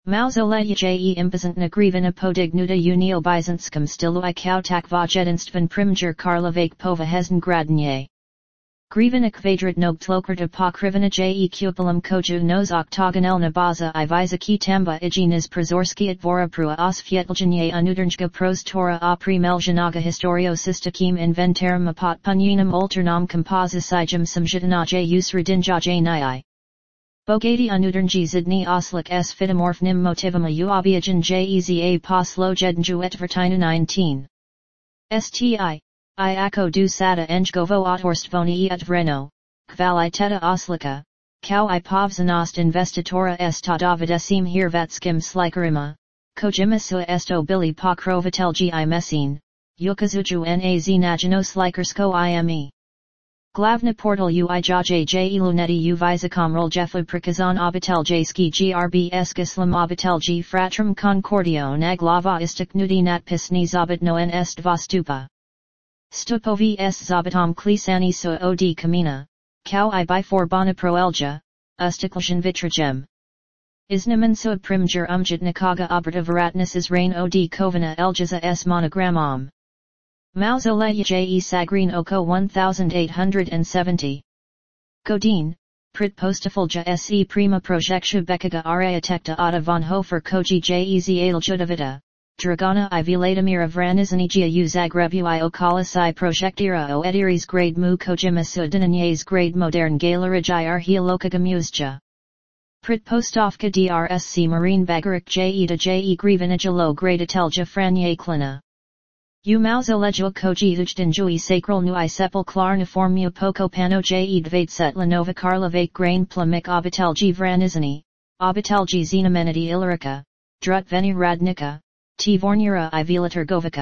Mauzoleje impozantna grivina podignuta unio byzantskom stilu I kautak vojedinstven primjer karlovake povahezen gradanje. Grivina kvadrat nogtlokerta pokrivina kupolum koju nos oktogonelna baza I vizaki tamba iginas prizorski dvoraprua osvietljenje unutrnjga prostora a primeljanaga historiosistakim inventarum apotpunjenum alternam komposicijum samjitanaje usradinjaje nai. Bogati unutrnji zidni oslik s fitomorphnim motivum u obiogen jeza poslojednju etvertina 19. Sti. I ako du sada njgovo otorstvoni et vreno, kvaliteta oslika, kao I povzanost investitora est dovidesim hirvatskim slikarima, kojimasu esto bili pokrovitelji I mesin, yukazuju naz najino slikarsko ime. Glavna portal ui jaje luneti u vizakomrol jeflu prikazan obitelji grb skislam obitelji fratrum concordio naglava istiknudi natpisni zabitno est vostupa. Stupovi s zabitom klisani so od kamina, kao I by for bona proelja, ustikljan vitragem. Iznaman so primjer umjitnikaga operativaratnis is rain od kovana eljaza s monogramom. Mauzoleje sagreen oko 1870. Godin, prit postafulja se prima projectia becaga areatekta ada von Hofer koji jeza aljudavita. Dragana I Vladimira Vranizanigia u Zagrebu I okolisai projectira o ediris grade mu kojimasu dinanyes grade modern galerij I arheolokaga musja. Prit postovka drsc marine bagarik jeda je grivinijalo grade atelja franye klina. U mauzolejo koji ujdinjui sacral nu I sepulclarniformu poco pano je dvaitset lanova karlovake grain plamik obitelji Vranizani, obitelji znamenity ilirica, drut veni radnika. Tvornira I Vila Trgovica.